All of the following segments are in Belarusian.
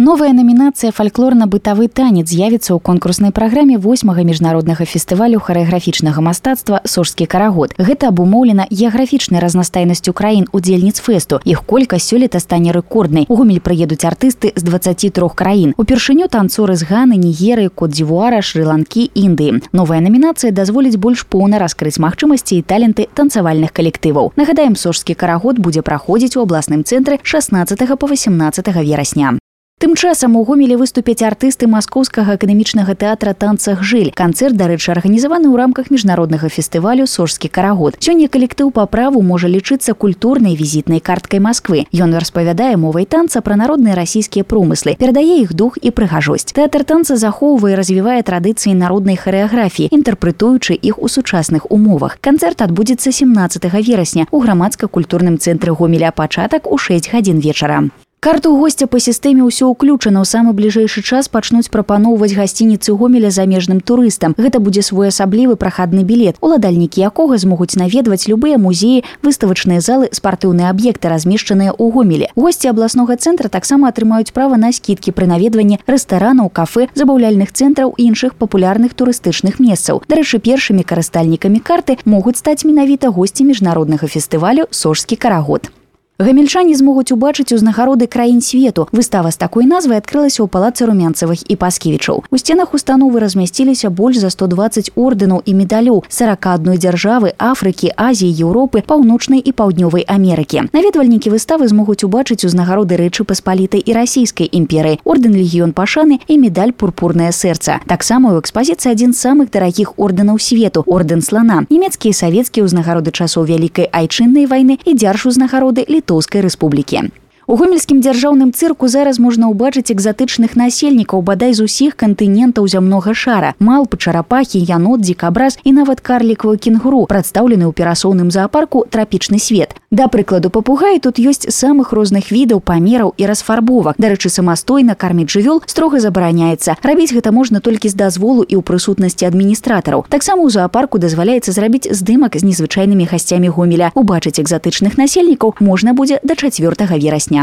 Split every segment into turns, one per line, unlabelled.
Новая номінацыя «Фальклорна-бытавы танец» з'явіцца ў конкурснай праграме 8-га міжнароднага фестывалю харэаграфічнага мастацтва «Сожскі карагод». Гэта абумоўлена геаграфічнай разнастайнасцю краін удзельніц фэсту. Іх колькасць сёлета стане рэкорднай. У Гомель прыедуць артысты з 23 краін. Упершыню танцоры з Ганы, Нігерыі, Кот-дзівуара, Шры-Ланкі, Індыі. Новая номінацыя дазволіць больш поўна раскрыць магчымасці і таленты танцавальных калектываў. Нагадаем, «Сожскі карагод» будзе праходзіць у абласным цэнтры 16 па 18 верасня. Тым часам у Гомелі выступяць артысты Маскоўскага акадэмічнага тэатра «Танца Гжыль». Канцэрт, дарэчы, арганізаваны ў рамках міжнароднага фестывалю «Сожскі карагод». Сёння калектыў па праву можа лічыцца культурнай візітнай карткай Масквы. Ён распавядае мовай танца пра народныя расійскія промыслы, перадае іх дух і прыгажосць. Тэатр танца захоўвае і развівае традыцыі народнай харэаграфіі, інтэрпрэтуючы іх у сучасных умовах. Канцэрт адбудзецца 17 верасня ў грамадска-культурным цэнтры Гомеля, пачатак у 6 гадзін вечара. Карту гостя па сістэме ўсё ўключана. У самы бліжэйшы час пачнуць прапаноўваць гасцініцы Гомеля замежным турыстам. Гэта будзе своеасаблівы прахадны білет, уладальнікі якога змогуць наведваць любыя музеі, выставачныя залы, спартыўныя аб'екты, размешчаныя ў Гомелі. Госці абласнога цэнтра таксама атрымаюць права на скідкі пры наведванні рэстаранаў, кафэ, забаўляльных цэнтраў і іншых папулярных турыстычных месцаў. Дарэчы, першымі карыстальнікамі карты могуць стаць менавіта госці міжнароднага фестывалю «Сожскі карагод». Гамельчане змогуць убачыць узнагароды краін свету. Выстава з такой назвай адкрылася ў палацы Румянцевых і Паскевічаў. У сценах установы размясціліся больш за 120 ордэнаў і медалёў 41 дзяржавы, Афрыкі, Азіі, Еўропы, Паўночнай і Паўднёвай Амерыкі. Наведвальнікі выставы змогуць убачыць узнагароды Рэчы Паспалітай і Расійскай імперыі, ордэн Легіён Пашаны і медаль Пурпурнае сэрца. Таксама ў экспазіцыі адзін з самых дарагіх ордэнаў свету – ордэн слана. Нямецкія і савецкія ўзнагароды часоў Вялікай айчыннай вайны і дзяржузнагароды Літоўскай рэспублікі. У гомельскім дзяржаўным цырку зараз можна ўбачыць экзатычных насельнікаў бадай з усіх кантынентаў зямнога шара. Малпы, чарапахі, янот, дзікабраз і нават карлікавы кенгуру, прадстаўлены ў перасоўным заапарку «Трапічны свет». Да прыкладу, папугаі тут ёсць самых розных відаў, памераў і расфарбовак. Дарэчы, самастойна карміць жывёл строга забараняецца. Рабіць гэта можна толькі з дазволу і ў прысутнасці адміністратараў. Таксама ў заапарку дазваляецца зрабіць здымак з незвычайнымі гасцямі Гомеля. Убачыць экзатычных насельнікаў можна будзе да 4 верасня.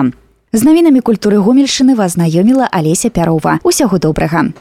З навінамі культуры Гомельшчыны вас знаёміла Алеся Пярова. Усяго добрага.